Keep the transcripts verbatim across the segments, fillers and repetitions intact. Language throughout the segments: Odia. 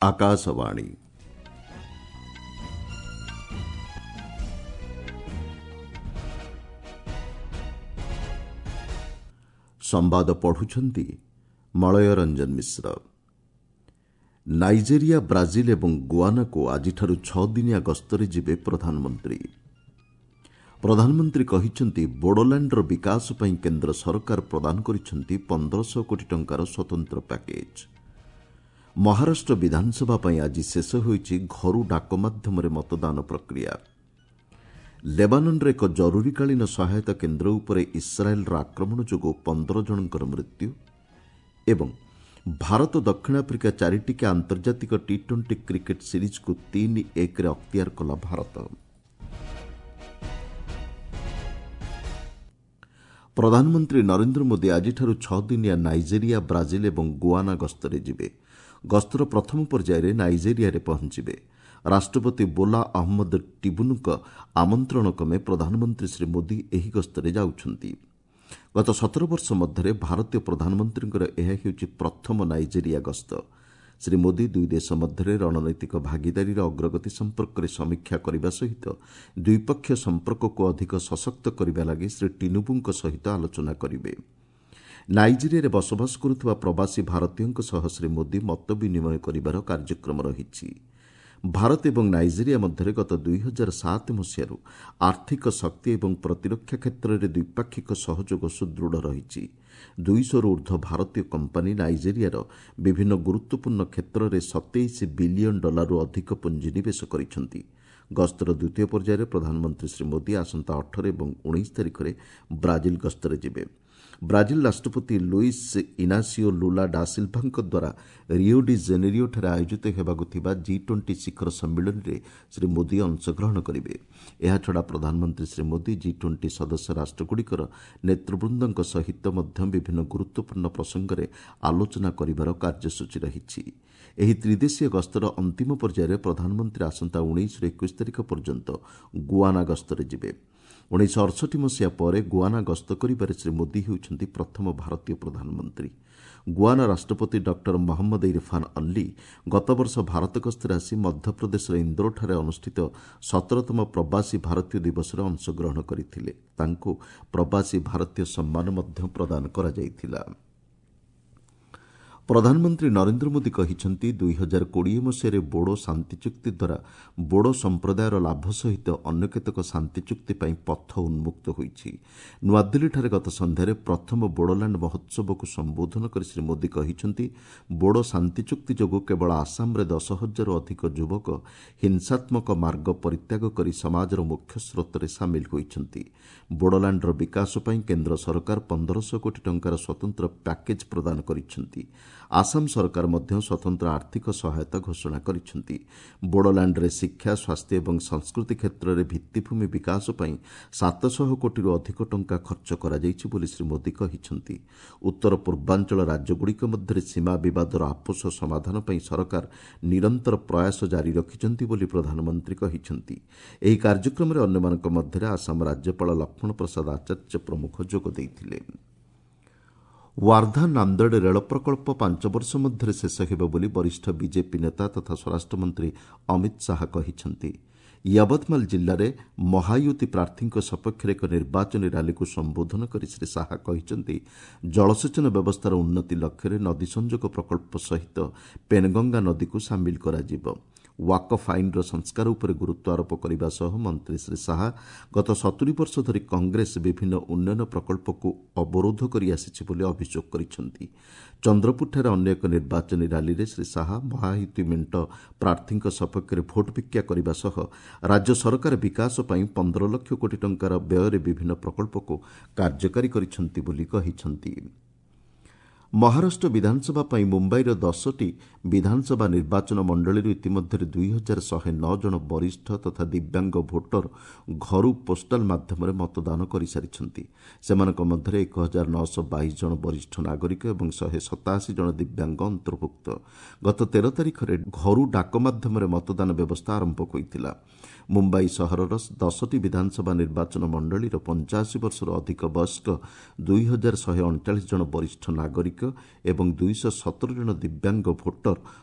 ଆକାଶବାଣୀ। ସମ୍ବାଦ ପଢୁଛନ୍ତି ମଳୟ ରଞ୍ଜନ ମିଶ୍ର। ନାଇଜେରିଆ, ବ୍ରାଜିଲ ଏବଂ ଗୁଆନାକୁ ଆଜିଠାରୁ ଛଅ ଦିନିଆ ଗସ୍ତରେ ଯିବେ ପ୍ରଧାନମନ୍ତ୍ରୀ। ପ୍ରଧାନମନ୍ତ୍ରୀ କହିଛନ୍ତି, ବୋଡୋଲ୍ୟାଣ୍ଡର ବିକାଶ ପାଇଁ କେନ୍ଦ୍ର ସରକାର ପ୍ରଦାନ କରିଛନ୍ତି ପନ୍ଦରଶହ କୋଟି ଟଙ୍କାର ସ୍ୱତନ୍ତ୍ର ପ୍ୟାକେଜ୍। ମହାରାଷ୍ଟ୍ର ବିଧାନସଭା ପାଇଁ ଆଜି ଶେଷ ହୋଇଛି ଘରୁ ଡାକ ମାଧ୍ୟମରେ ମତଦାନ ପ୍ରକ୍ରିୟା। ଲେବାନନ୍ରେ ଏକ ଜରୁରୀକାଳୀନ ସହାୟତା କେନ୍ଦ୍ର ଉପରେ ଇସ୍ରାଏଲ୍ର ଆକ୍ରମଣ ଯୋଗୁଁ ପନ୍ଦର ଜଣଙ୍କର ମୃତ୍ୟୁ ଏବଂ ଭାରତ ଦକ୍ଷିଣ ଆଫ୍ରିକା ଚାରିଟିକିଆ ଆନ୍ତର୍ଜାତିକ ଟି ଟ୍ୱେଣ୍ଟି କ୍ରିକେଟ୍ ସିରିଜ୍କୁ ତିନି ଏକରେ ଅକ୍ତିଆର କଲା ଭାରତ। ପ୍ରଧାନମନ୍ତ୍ରୀ ନରେନ୍ଦ୍ର ମୋଦି ଆଜିଠାରୁ ଛଅ ଦିନିଆ ନାଇଜେରିଆ, ବ୍ରାଜିଲ ଏବଂ ଗୁଆନା ଗସ୍ତରେ ଯିବେ। ଗସ୍ତର ପ୍ରଥମ ପର୍ଯ୍ୟାୟରେ ନାଇଜେରିଆରେ ପହଞ୍ଚିବେ। ରାଷ୍ଟ୍ରପତି ବୋଲା ଅହମ୍ମଦ ଟିବୁନୁଙ୍କ ଆମନ୍ତ୍ରଣ କ୍ରମେ ପ୍ରଧାନମନ୍ତ୍ରୀ ଶ୍ରୀ ମୋଦି ଏହି ଗସ୍ତରେ ଯାଉଛନ୍ତି। ଗତ ସତର ବର୍ଷ ମଧ୍ୟରେ ଭାରତୀୟ ପ୍ରଧାନମନ୍ତ୍ରୀଙ୍କର ଏହା ହେଉଛି ପ୍ରଥମ ନାଇଜେରିଆ ଗସ୍ତ। ଶ୍ରୀ ମୋଦି ଦୁଇ ଦେଶ ମଧ୍ୟରେ ରଣନୈତିକ ଭାଗିଦାରୀର ଅଗ୍ରଗତି ସମ୍ପର୍କରେ ସମୀକ୍ଷା କରିବା ସହିତ ଦ୍ୱିପକ୍ଷୀୟ ସମ୍ପର୍କକୁ ଅଧିକ ସଶକ୍ତ କରିବା ଲାଗି ଶ୍ରୀ ଟିନୁବୁଙ୍କ ସହିତ ଆଲୋଚନା କରିବେ। ନାଇଜେରିଆରେ ବସବାସ କରୁଥିବା ପ୍ରବାସୀ ଭାରତୀୟଙ୍କ ସହ ଶ୍ରୀ ମୋଦି ମତ ବିନିମୟ କରିବାର କାର୍ଯ୍ୟକ୍ରମ ରହିଛି। ଭାରତ ଏବଂ ନାଇଜେରିଆ ମଧ୍ୟରେ ଗତ ଦୁଇ ହଜାର ସାତ ମସିହାରୁ ଆର୍ଥିକ, ଶକ୍ତି ଏବଂ ପ୍ରତିରକ୍ଷା କ୍ଷେତ୍ରରେ ଦ୍ୱିପାକ୍ଷିକ ସହଯୋଗ ସୁଦୃଢ଼ ରହିଛି। ଦୁଇଶହରୁ ଉର୍ଦ୍ଧ୍ୱ ଭାରତୀୟ କମ୍ପାନୀ ନାଇଜେରିଆର ବିଭିନ୍ନ ଗୁରୁତ୍ୱପୂର୍ଣ୍ଣ କ୍ଷେତ୍ରରେ ସତେଇଶ ବିଲିୟନ ଡଲାରରୁ ଅଧିକ ପୁଞ୍ଜିନିବେଶ କରିଛନ୍ତି। ଗସ୍ତର ଦ୍ୱିତୀୟ ପର୍ଯ୍ୟାୟରେ ପ୍ରଧାନମନ୍ତ୍ରୀ ଶ୍ରୀ ମୋଦି ଆସନ୍ତା ଅଠର ଏବଂ ଉଣେଇଶ ତାରିଖରେ ବ୍ରାଜିଲ ଗସ୍ତରେ ଯିବେ। ବ୍ରାଜିଲ ରାଷ୍ଟ୍ରପତି ଲୁଇସ୍ ଇନାସିଓ ଲୁଲା ଡାସିଲ୍ଭାଙ୍କ ଦ୍ୱାରା ରିଓ ଡି ଜେନେରିଓଠାରେ ଆୟୋଜିତ ହେବାକୁ ଥିବା ଜି ଟ୍ୱେଣ୍ଟି ଶିଖର ସମ୍ମିଳନୀରେ ଶ୍ରୀ ମୋଦି ଅଂଶଗ୍ରହଣ କରିବେ। ଏହାଛଡ଼ା ପ୍ରଧାନମନ୍ତ୍ରୀ ଶ୍ରୀ ମୋଦି ଜି ଟ୍ୱେଣ୍ଟି ସଦସ୍ୟ ରାଷ୍ଟ୍ରଗୁଡ଼ିକର ନେତୃବୃନ୍ଦଙ୍କ ସହିତ ମଧ୍ୟ ବିଭିନ୍ନ ଗୁରୁତ୍ୱପୂର୍ଣ୍ଣ ପ୍ରସଙ୍ଗରେ ଆଲୋଚନା କରିବାର କାର୍ଯ୍ୟସୂଚୀ ରହିଛି। ଏହି ତ୍ରିଦେଶୀୟ ଗସ୍ତର ଅନ୍ତିମ ପର୍ଯ୍ୟାୟରେ ପ୍ରଧାନମନ୍ତ୍ରୀ ଆସନ୍ତା ଉଣେଇଶରୁ ଏକୋଇଶ ତାରିଖ ପର୍ଯ୍ୟନ୍ତ ଗୁଆନା ଗସ୍ତରେ ଯିବେ। ଉଣେଇଶହ ଅଠଷଠି ମସିହା ପରେ ଗୁଆନା ଗସ୍ତ କରିବାରେ ଶ୍ରୀ ମୋଦି ହେଉଛନ୍ତି ପ୍ରଥମ ଭାରତୀୟ ପ୍ରଧାନମନ୍ତ୍ରୀ। ଗୁଆନା ରାଷ୍ଟ୍ରପତି ଡକ୍ଟର ମହମ୍ମଦ ଇରଫାନ୍ ଅଲ୍ଲୀ ଗତବର୍ଷ ଭାରତ ଗସ୍ତରେ ଆସି ମଧ୍ୟପ୍ରଦେଶର ଇନ୍ଦୋରଠାରେ ଅନୁଷ୍ଠିତ ସତରତମ ପ୍ରବାସୀ ଭାରତୀୟ ଦିବସରେ ଅଂଶଗ୍ରହଣ କରିଥିଲେ। ତାଙ୍କୁ ପ୍ରବାସୀ ଭାରତୀୟ ସମ୍ମାନ ମଧ୍ୟ ପ୍ରଦାନ କରାଯାଇଥିଲା। ପ୍ରଧାନମନ୍ତ୍ରୀ ନରେନ୍ଦ୍ର ମୋଦି କହିଛନ୍ତି, ଦୁଇ ହଜାର କୋଡ଼ିଏ ମସିହାରେ ବୋଡୋ ଶାନ୍ତି ଚୁକ୍ତି ଦ୍ୱାରା ବୋଡୋ ସମ୍ପ୍ରଦାୟର ଲାଭ ସହିତ ଅନ୍ୟ କେତେକ ଶାନ୍ତି ଚୁକ୍ତି ପାଇଁ ପଥ ଉନ୍ମୁକ୍ତ ହୋଇଛି। ନୂଆଦିଲ୍ଲୀଠାରେ ଗତ ସନ୍ଧ୍ୟାରେ ପ୍ରଥମ ବୋଡୋଲ୍ୟାଣ୍ଡ ମହୋତ୍ସବକୁ ସମ୍ବୋଧନ କରି ଶ୍ରୀ ମୋଦି କହିଛନ୍ତି, ବୋଡୋ ଶାନ୍ତି ଚୁକ୍ତି ଯୋଗୁଁ କେବଳ ଆସାମରେ ଦଶ ହଜାରରୁ ଅଧିକ ଯୁବକ ହିଂସାତ୍ମକ ମାର୍ଗ ପରିତ୍ୟାଗ କରି ସମାଜର ମୁଖ୍ୟ ସ୍ରୋତରେ ସାମିଲ ହୋଇଛନ୍ତି। ବୋଡୋଲ୍ୟାଣ୍ଡର ବିକାଶ ପାଇଁ କେନ୍ଦ୍ର ସରକାର ପନ୍ଦରଶହ କୋଟି ଟଙ୍କାର ସ୍ୱତନ୍ତ୍ର ପ୍ୟାକେଜ୍ ପ୍ରଦାନ କରିଛନ୍ତି। ଆସାମ ସରକାର ମଧ୍ୟ ସ୍ୱତନ୍ତ୍ର ଆର୍ଥିକ ସହାୟତା ଘୋଷଣା କରିଛନ୍ତି। ବୋଡୋଲ୍ୟାଣ୍ଡରେ ଶିକ୍ଷା, ସ୍ୱାସ୍ଥ୍ୟ ଏବଂ ସଂସ୍କୃତି କ୍ଷେତ୍ରରେ ଭିତ୍ତିଭୂମି ବିକାଶ ପାଇଁ ସାତଶହ କୋଟିରୁ ଅଧିକ ଟଙ୍କା ଖର୍ଚ୍ଚ କରାଯାଇଛି ବୋଲି ଶ୍ରୀ ମୋଦି କହିଛନ୍ତି। ଉତ୍ତର ପୂର୍ବାଞ୍ଚଳ ରାଜ୍ୟଗୁଡ଼ିକ ମଧ୍ୟରେ ସୀମା ବିବାଦର ଆପୋଷ ସମାଧାନ ପାଇଁ ସରକାର ନିରନ୍ତର ପ୍ରୟାସ ଜାରି ରଖିଛନ୍ତି ବୋଲି ପ୍ରଧାନମନ୍ତ୍ରୀ କହିଛନ୍ତି। ଏହି କାର୍ଯ୍ୟକ୍ରମରେ ଅନ୍ୟମାନଙ୍କ ମଧ୍ୟରେ ଆସାମ ରାଜ୍ୟପାଳ ଲକ୍ଷ୍ମଣ ପ୍ରସାଦ ଆଚାର୍ଯ୍ୟ ପ୍ରମୁଖ ଯୋଗ ଦେଇଥିଲେ। ୱାର୍ଦ୍ଧା ନାନ୍ଦେଡ଼ ରେଳ ପ୍ରକଳ୍ପ ପାଞ୍ଚ ବର୍ଷ ମଧ୍ୟରେ ଶେଷ ହେବ ବୋଲି ବରିଷ୍ଠ ବିଜେପି ନେତା ତଥା ସ୍ୱରାଷ୍ଟ୍ରମନ୍ତ୍ରୀ ଅମିତ ଶାହା କହିଛନ୍ତି। ୟବତମାଲ ଜିଲ୍ଲାରେ ମହାୟୁତି ପ୍ରାର୍ଥୀଙ୍କ ସପକ୍ଷରେ ଏକ ନିର୍ବାଚନୀ ରାଲିକୁ ସମ୍ବୋଧନ କରି ଶ୍ରୀ ଶାହା କହିଛନ୍ତି, ଜଳସେଚନ ବ୍ୟବସ୍ଥାର ଉନ୍ନତି ଲକ୍ଷ୍ୟରେ ନଦୀ ସଂଯୋଗ ପ୍ରକଳ୍ପ ସହିତ ପେନଗଙ୍ଗା ନଦୀକୁ ସାମିଲ କରାଯିବ। ୱାକଫ୍ ଆଇନର ସଂସ୍କାର ଉପରେ ଗୁରୁତ୍ୱ ଆରୋପ କରିବା ସହ ମନ୍ତ୍ରୀ ଶ୍ରୀ ଶାହା ଗତ ସତୁରି ବର୍ଷ ଧରି କଂଗ୍ରେସ ବିଭିନ୍ନ ଉନ୍ନୟନ ପ୍ରକଳ୍ପକୁ ଅବରୋଧ କରି ଆସିଛି ବୋଲି ଅଭିଯୋଗ କରିଛନ୍ତି। ଚନ୍ଦ୍ରପୁରଠାରେ ଅନ୍ୟ ଏକ ନିର୍ବାଚନୀ ରାଲିରେ ଶ୍ରୀ ଶାହା ମହାୟୁତି ମେଣ୍ଟ ପ୍ରାର୍ଥୀଙ୍କ ସପକ୍ଷରେ ଭୋଟ ଭିକ୍ଷା କରିବା ସହ ରାଜ୍ୟ ସରକାର ବିକାଶ ପାଇଁ ପନ୍ଦର ଲକ୍ଷ କୋଟି ଟଙ୍କାର ବ୍ୟୟରେ ବିଭିନ୍ନ ପ୍ରକଳ୍ପକୁ କାର୍ଯ୍ୟକାରୀ କରିଛନ୍ତି ବୋଲି କହିଛନ୍ତି। ମହାରାଷ୍ଟ୍ର ବିଧାନସଭା ପାଇଁ ମୁମ୍ବାଇର ଦଶଟି ବିଧାନସଭା ନିର୍ବାଚନ ମଣ୍ଡଳୀରୁ ଇତିମଧ୍ୟରେ ଦୁଇ ହଜାର ଶହେ ନଅ ଜଣ ବରିଷ୍ଠ ତଥା ଦିବ୍ୟାଙ୍ଗ ଭୋଟର ଘରୁ ପୋଷ୍ଟାଲ ମାଧ୍ୟମରେ ମତଦାନ କରିସାରିଛନ୍ତି। ସେମାନଙ୍କ ମଧ୍ୟରେ ଏକ ହଜାର ନଅଶହ ବାଇଶ ଜଣ ବରିଷ୍ଠ ନାଗରିକ ଏବଂ ଶହେ ସତାଅଶୀ ଜଣ ଦିବ୍ୟାଙ୍ଗ ଅନ୍ତର୍ଭୁକ୍ତ। ଗତ ତେର ତାରିଖରେ ଘରୁ ଡାକ ମାଧ୍ୟମରେ ମତଦାନ ବ୍ୟବସ୍ଥା ଆରମ୍ଭ ହୋଇଥିଲା। ମୁମ୍ବାଇ ସହରର ଦଶଟି ବିଧାନସଭା ନିର୍ବାଚନ ମଣ୍ଡଳୀର ପଞ୍ଚାଅଶୀ ବର୍ଷରୁ ଅଧିକ ବୟସ୍କ ଦୁଇ ହଜାର ଶହେ ଅଣଚାଳିଶ ଜଣ ବରିଷ୍ଠ ନାଗରିକ ନାଗରିକ ଏବଂ ଦୁଇଶହ ସତର ଜଣ ଦିବ୍ୟାଙ୍ଗ ଭୋଟର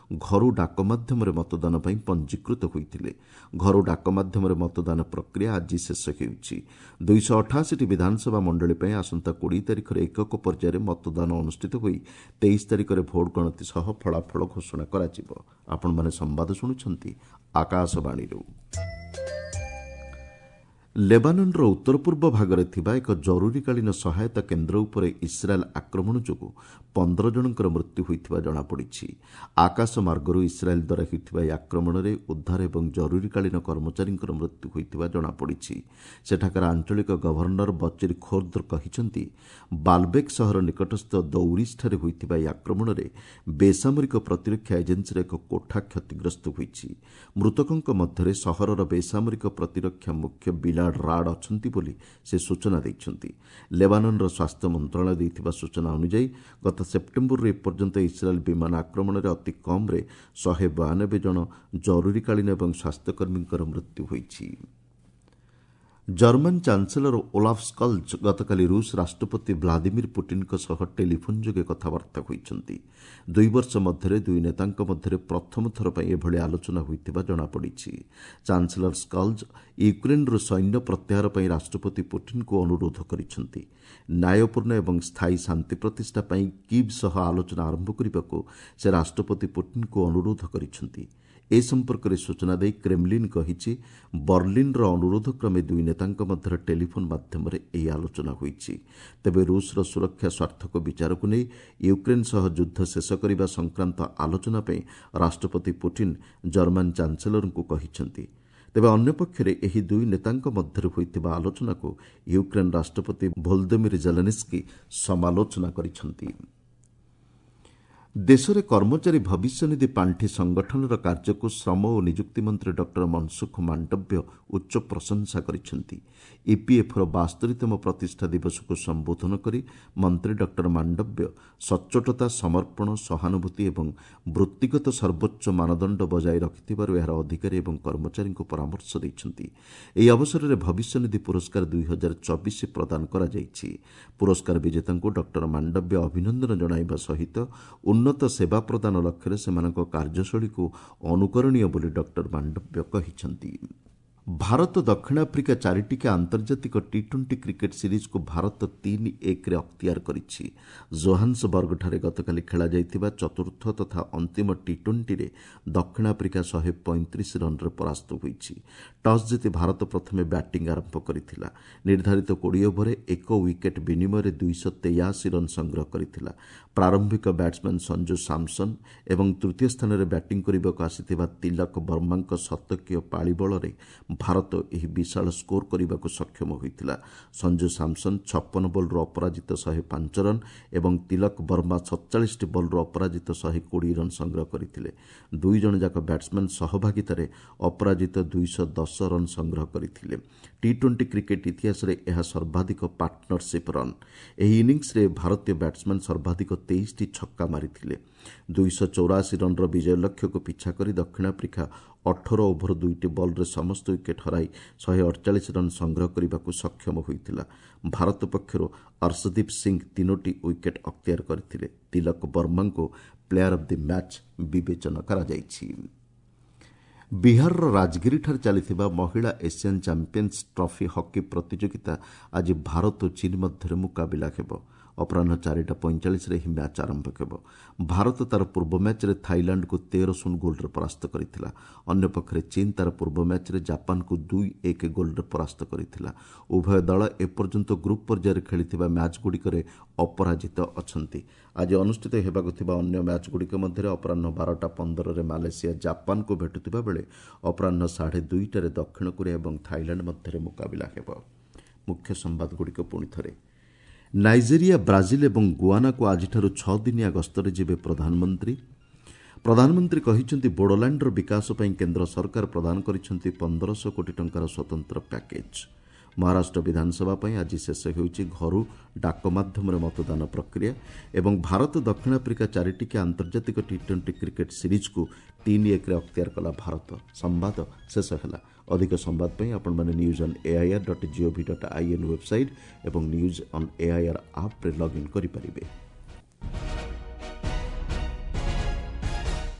ଘରୁ ଡାକ ମାଧ୍ୟମରେ ମତଦାନ ପାଇଁ ପଞ୍ଜୀକୃତ ହୋଇଥିଲେ। ଘରୁ ଡାକ ମାଧ୍ୟମରେ ମତଦାନ ପ୍ରକ୍ରିୟା ଆଜି ଶେଷ ହେଉଛି। ଦୁଇଶହ ଅଠାଅଶୀଟି ବିଧାନସଭା ମଣ୍ଡଳୀ ପାଇଁ ଆସନ୍ତା କୋଡ଼ିଏ ତାରିଖରେ ଏକକ ପର୍ଯ୍ୟାୟରେ ମତଦାନ ଅନୁଷ୍ଠିତ ହୋଇ ତେଇଶ ତାରିଖରେ ଭୋଟ ଗଣତି ସହ ଫଳାଫଳ ଘୋଷଣା କରାଯିବ। ଆପଣମାନେ ସମ୍ବାଦ ଶୁଣୁଛନ୍ତି ଆକାଶବାଣୀରୁ। ଲେବାନନ୍ର ଉତ୍ତର ପୂର୍ବ ଭାଗରେ ଥିବା ଏକ ଜରୁରୀକାଳୀନ ସହାୟତା କେନ୍ଦ୍ର ଉପରେ ଇସ୍ରାଏଲ୍ ଆକ୍ରମଣ ଯୋଗୁଁ ପନ୍ଦର ଜଣଙ୍କର ମୃତ୍ୟୁ ହୋଇଥିବା ଜଣାପଡ଼ିଛି। ଆକାଶ ମାର୍ଗରୁ ଇସ୍ରାଏଲ୍ ଦ୍ୱାରା ହୋଇଥିବା ଏହି ଆକ୍ରମଣରେ ଉଦ୍ଧାର ଏବଂ ଜରୁରୀକାଳୀନ କର୍ମଚାରୀଙ୍କର ମୃତ୍ୟୁ ହୋଇଥିବା ଜଣାପଡ଼ିଛି। ସେଠାକାର ଆଞ୍ଚଳିକ ଗଭର୍ଣ୍ଣର ବଚିର ଖୋର୍ଦ୍ର କହିଛନ୍ତି, ବାଲବେକ୍ ସହର ନିକଟସ୍ଥ ଦୌରିସ୍ଠାରେ ହୋଇଥିବା ଏହି ଆକ୍ରମଣରେ ବେସାମରିକ ପ୍ରତିରକ୍ଷା ଏଜେନ୍ସିର ଏକ କୋଠା କ୍ଷତିଗ୍ରସ୍ତ ହୋଇଛି। ମୃତକଙ୍କ ମଧ୍ୟରେ ସହରର ବେସାମରିକ ପ୍ରତିରକ୍ଷା ମୁଖ୍ୟ ବିଲା ରାଡ୍ ଅଛନ୍ତି ବୋଲି ସେ ସୂଚନା ଦେଇଛନ୍ତି। ଲେବାନନ୍ର ସ୍ୱାସ୍ଥ୍ୟ ମନ୍ତ୍ରଣାଳୟ ଦେଇଥିବା ସୂଚନା ଅନୁଯାୟୀ ଗତ ସେପ୍ଟେମ୍ବରରୁ ଏପର୍ଯ୍ୟନ୍ତ ଇସ୍ରାଏଲ୍ ବିମାନ ଆକ୍ରମଣରେ ଅତି କମ୍ରେ ଶହେ ବୟାନବେ ଜଣ ଜରୁରୀକାଳୀନ ଏବଂ ସ୍ୱାସ୍ଥ୍ୟକର୍ମୀଙ୍କର ମୃତ୍ୟୁ ହୋଇଛି। ଜର୍ମାନ ଚାନ୍ସେଲର ଓଲାଫ୍ ସ୍କଲ୍ଜ ଗତକାଲି ରୁଷ ରାଷ୍ଟ୍ରପତି ଭ୍ଲାଦିମିର ପୁଟିନ୍ଙ୍କ ସହ ଟେଲିଫୋନ୍ ଯୋଗେ କଥାବାର୍ତ୍ତା ହୋଇଛନ୍ତି। ଦୁଇ ବର୍ଷ ମଧ୍ୟରେ ଦୁଇ ନେତାଙ୍କ ମଧ୍ୟରେ ପ୍ରଥମ ଥର ପାଇଁ ଏଭଳି ଆଲୋଚନା ହୋଇଥିବା ଜଣାପଡ଼ିଛି। ଚାନ୍ସେଲର ସ୍କଲ୍ଜ ୟୁକ୍ରେନ୍ରୁ ସୈନ୍ୟ ପ୍ରତ୍ୟାହାର ପାଇଁ ରାଷ୍ଟ୍ରପତି ପୁଟିନ୍ଙ୍କୁ ଅନୁରୋଧ କରିଛନ୍ତି। ନ୍ୟାୟପୂର୍ଣ୍ଣ ଏବଂ ସ୍ଥାୟୀ ଶାନ୍ତି ପ୍ରତିଷ୍ଠା ପାଇଁ କିଭ୍ ସହ ଆଲୋଚନା ଆରମ୍ଭ କରିବାକୁ ସେ ରାଷ୍ଟ୍ରପତି ପୁଟିନ୍ଙ୍କୁ ଅନୁରୋଧ କରିଛନ୍ତି। ଏ ସମ୍ପର୍କରେ ସୂଚନା ଦେଇ କ୍ରେମଲିନ୍ କହିଛି, ବର୍ଲିନ୍ର ଅନୁରୋଧ କ୍ରମେ ଦୁଇ ନେତାଙ୍କ ମଧ୍ୟରେ ଟେଲିଫୋନ୍ ମାଧ୍ୟମରେ ଏହି ଆଲୋଚନା ହୋଇଛି। ତେବେ ରୁଷର ସୁରକ୍ଷା ସ୍ୱାର୍ଥକୁ ବିଚାରକୁ ନେଇ ୟୁକ୍ରେନ୍ ସହ ଯୁଦ୍ଧ ଶେଷ କରିବା ସଂକ୍ରାନ୍ତ ଆଲୋଚନା ପାଇଁ ରାଷ୍ଟ୍ରପତି ପୁଟିନ୍ ଜର୍ମାନ ଚାନ୍ସେଲରଙ୍କୁ କହିଛନ୍ତି। ତେବେ ଅନ୍ୟପକ୍ଷରେ ଏହି ଦୁଇ ନେତାଙ୍କ ମଧ୍ୟରେ ହୋଇଥିବା ଆଲୋଚନାକୁ ୟୁକ୍ରେନ୍ ରାଷ୍ଟ୍ରପତି ଭୋଲଦୋମିର ଜେଲେନ୍ସ୍କି ସମାଲୋଚନା କରିଛନ୍ତି। ଦେଶରେ କର୍ମଚାରୀ ଭବିଷ୍ୟନିଧି ପାଣ୍ଠି ସଂଗଠନର କାର୍ଯ୍ୟକୁ ଶ୍ରମ ଓ ନିଯୁକ୍ତି ମନ୍ତ୍ରୀ ଡକ୍ଟର ମନସୁଖ ମାଣ୍ଡବ୍ୟ ଉଚ୍ଚ ପ୍ରଶଂସା କରିଛନ୍ତି। ଇପିଏଫ୍ର ବାସ୍ତରୀତମ ପ୍ରତିଷ୍ଠା ଦିବସକୁ ସମ୍ବୋଧନ କରି ମନ୍ତ୍ରୀ ଡକ୍ଟର ମାଣ୍ଡବ୍ୟ ସଚ୍ଚୋଟତା, ସମର୍ପଣ, ସହାନୁଭୂତି ଏବଂ ବୃତ୍ତିଗତ ସର୍ବୋଚ୍ଚ ମାନଦଣ୍ଡ ବଜାୟ ରଖିଥିବାରୁ ଏହାର ଅଧିକାରୀ ଏବଂ କର୍ମଚାରୀଙ୍କୁ ପରାମର୍ଶ ଦେଇଛନ୍ତି। ଏହି ଅବସରରେ ଭବିଷ୍ୟନିଧି ପୁରସ୍କାର ଦୁଇ ହଜାର ଚବିଶ ପ୍ରଦାନ କରାଯାଇଛି। ପୁରସ୍କାର ବିଜେତାଙ୍କୁ ଡକ୍ଟର ମାଣ୍ଡବ୍ୟ ଅଭିନନ୍ଦନ ଜଣାଇବା ସହିତ ଉନ୍ନତ ସେବା ପ୍ରଦାନ ଲକ୍ଷ୍ୟରେ ସେମାନଙ୍କ କାର୍ଯ୍ୟଶୈଳୀକୁ ଅନୁକରଣୀୟ ବୋଲି ଡକ୍ଟର ମାଣ୍ଡବ୍ୟ କହିଛନ୍ତି। ଭାରତ ଦକ୍ଷିଣ ଆଫ୍ରିକା ଚାରିଟିକିଆ ଆନ୍ତର୍ଜାତିକ ଟି ଟ୍ୱେଣ୍ଟି କ୍ରିକେଟ୍ ସିରିଜ୍କୁ ଭାରତ ତିନି ଏକରେ ଅକ୍ତିଆର କରିଛି। ଜୋହାନ୍ସବର୍ଗଠାରେ ଗତକାଲି ଖେଳାଯାଇଥିବା ଚତୁର୍ଥ ତଥା ଅନ୍ତିମ ଟି ଟ୍ୱେଣ୍ଟିରେ ଦକ୍ଷିଣ ଆଫ୍ରିକା ଶହେ ପଇଁତିରିଶ ରନ୍ରେ ପରାସ୍ତ ହୋଇଛି। ଟସ୍ ଜିତି ଭାରତ ପ୍ରଥମେ ବ୍ୟାଟିଂ ଆରମ୍ଭ କରିଥିଲା। ନିର୍ଦ୍ଧାରିତ କୋଡ଼ିଏ ଓଭରରେ ଏକ ୱିକେଟ୍ ବିନିମୟରେ ଦୁଇଶହ ତେୟାଅଶୀ ରନ୍ ସଂଗ୍ରହ କରିଥିଲା। ପ୍ରାରମ୍ଭିକ ବ୍ୟାଟ୍ସମ୍ୟାନ୍ ସଞ୍ଜୁ ସାମସନ୍ ଏବଂ ତୃତୀୟ ସ୍ଥାନରେ ବ୍ୟାଟିଂ କରିବାକୁ ଆସିଥିବା ତିଲକ ବର୍ମାଙ୍କ ଶତକୀୟ ପାଳି ବଳରେ ଭାରତ ଏହି ବିଶାଳ ସ୍କୋର କରିବାକୁ ସକ୍ଷମ ହୋଇଥିଲା। ସଞ୍ଜୁ ସାମସନ୍ ଛପନ ବଲ୍ରୁ ଅପରାଜିତ ଶହେ ପାଞ୍ଚ ରନ୍ ଏବଂ ତିଲକ ବର୍ମା ସତଚାଳିଶଟି ବଲ୍ରୁ ଅପରାଜିତ ଶହେ କୋଡ଼ିଏ ରନ୍ ସଂଗ୍ରହ କରିଥିଲେ। ଦୁଇ ଜଣ ଯାକ ବ୍ୟାଟ୍ସମ୍ୟାନ୍ ସହଭାଗିତାରେ ଅପରାଜିତ ଦୁଇଶହ ଦଶ ରନ୍ ସଂଗ୍ରହ କରିଥିଲେ। ଟି ଟ୍ୱେଣ୍ଟି କ୍ରିକେଟ୍ ଇତିହାସରେ ଏହା ସର୍ବାଧିକ ପାର୍ଟନରସିପ୍ ରନ୍। ଏହି ଇନିଂସରେ ଭାରତୀୟ ବ୍ୟାଟ୍ସମ୍ୟାନ୍ ସର୍ବାଧିକ ତେଇଶଟି ଛକ୍କା ମାରିଥିଲେ। ଦୁଇଶହ ଚଉରାଅଶୀ ରନ୍ର ବିଜୟ ଲକ୍ଷ୍ୟକୁ ପିଛା କରି ଦକ୍ଷିଣ ଆଫ୍ରିକା ଅଠର ଓଭର ଦୁଇଟି ବଲ୍ରେ ସମସ୍ତ ୱିକେଟ୍ ହରାଇ ଶହେ ଅଠଚାଳିଶ ରନ୍ ସଂଗ୍ରହ କରିବାକୁ ସକ୍ଷମ ହୋଇଥିଲା। ଭାରତ ପକ୍ଷରୁ ଅର୍ଶଦୀପ ସିଂ ତିନୋଟି ୱିକେଟ୍ ଅକ୍ତିଆର କରିଥିଲେ। ତିଲକ ବର୍ମାଙ୍କୁ ପ୍ଲେୟାର ଅଫ୍ the match ବିବେଚନା କରାଯାଇଛି। ବିହାରର ରାଜଗିରିଠାରେ ଚାଲିଥିବା ମହିଳା ଏସିଆନ୍ ଚାମ୍ପିୟନ୍ସ ଟ୍ରଫି ହକି ପ୍ରତିଯୋଗିତା ଆଜି ଭାରତ ଓ ଚୀନ୍ ମଧ୍ୟରେ ମୁକାବିଲା ହେବ। ଅପରାହ୍ନ ଚାରିଟା ପଇଁଚାଳିଶରେ ଏହି ମ୍ୟାଚ୍ ଆରମ୍ଭ ହେବ। ଭାରତ ତା'ର ପୂର୍ବ ମ୍ୟାଚ୍ରେ ଥାଇଲାଣ୍ଡକୁ ତେର ଶୂନ ଗୋଲ୍ରେ ପରାସ୍ତ କରିଥିଲା। ଅନ୍ୟପକ୍ଷରେ ଚୀନ୍ ତା'ର ପୂର୍ବ ମ୍ୟାଚ୍ରେ ଜାପାନକୁ ଦୁଇ ଏକ ଗୋଲ୍ରେ ପରାସ୍ତ କରିଥିଲା। ଉଭୟ ଦଳ ଏପର୍ଯ୍ୟନ୍ତ ଗ୍ରୁପ୍ ପର୍ଯ୍ୟାୟରେ ଖେଳିଥିବା ମ୍ୟାଚ୍ଗୁଡ଼ିକରେ ଅପରାଜିତ ଅଛନ୍ତି। ଆଜି ଅନୁଷ୍ଠିତ ହେବାକୁ ଥିବା ଅନ୍ୟ ମ୍ୟାଚ୍ଗୁଡ଼ିକ ମଧ୍ୟରେ ଅପରାହ୍ନ ବାରଟା ପନ୍ଦରରେ ମାଲେସିଆ ଜାପାନକୁ ଭେଟୁଥିବା ବେଳେ ଅପରାହ୍ନ ସାଢ଼େ ଦୁଇଟାରେ ଦକ୍ଷିଣ କୋରିଆ ଏବଂ ଥାଇଲାଣ୍ଡ ମଧ୍ୟରେ ମୁକାବିଲା ହେବ। ମୁଖ୍ୟ ସମ୍ବାଦଗୁଡ଼ିକ ପୁଣି ଥରେ। ନାଇଜେରିଆ, ବ୍ରାଜିଲ ଏବଂ ଗୁଆନାକୁ ଆଜିଠାରୁ ଛଅ ଦିନିଆ ଗସ୍ତରେ ଯିବେ ପ୍ରଧାନମନ୍ତ୍ରୀ। ପ୍ରଧାନମନ୍ତ୍ରୀ କହିଛନ୍ତି, ବୋଡୋଲ୍ୟାଣ୍ଡର ବିକାଶ ପାଇଁ କେନ୍ଦ୍ର ସରକାର ପ୍ରଦାନ କରିଛନ୍ତି ପନ୍ଦରଶହ କୋଟି ଟଙ୍କାର ସ୍ୱତନ୍ତ୍ର ପ୍ୟାକେଜ୍। ମହାରାଷ୍ଟ୍ର ବିଧାନସଭା ପାଇଁ ଆଜି ଶେଷ ହେଉଛି ଘରୁ ଡାକ ମାଧ୍ୟମରେ ମତଦାନ ପ୍ରକ୍ରିୟା ଏବଂ ଭାରତ ଦକ୍ଷିଣ ଆଫ୍ରିକା ଚାରିଟିକିଆ ଆନ୍ତର୍ଜାତିକ ଟି ଟ୍ୱେଣ୍ଟି କ୍ରିକେଟ୍ ସିରିଜ୍କୁ ତିନି ଏକରେ ଅକ୍ତିଆର କଲା ଭାରତ। ସମ୍ବାଦ ଶେଷ ହେଲା। ଅଧିକ ସମ୍ବାଦ ପାଇଁ ଆପଣମାନେ news on AIR dot GOV dot IN website ଏବଂ ନ୍ୟୁଜ୍ ଅନ୍ ଏଆଇଆର୍ ଆପ୍ରେ ଲଗ୍ଇନ୍ କରିପାରିବେ।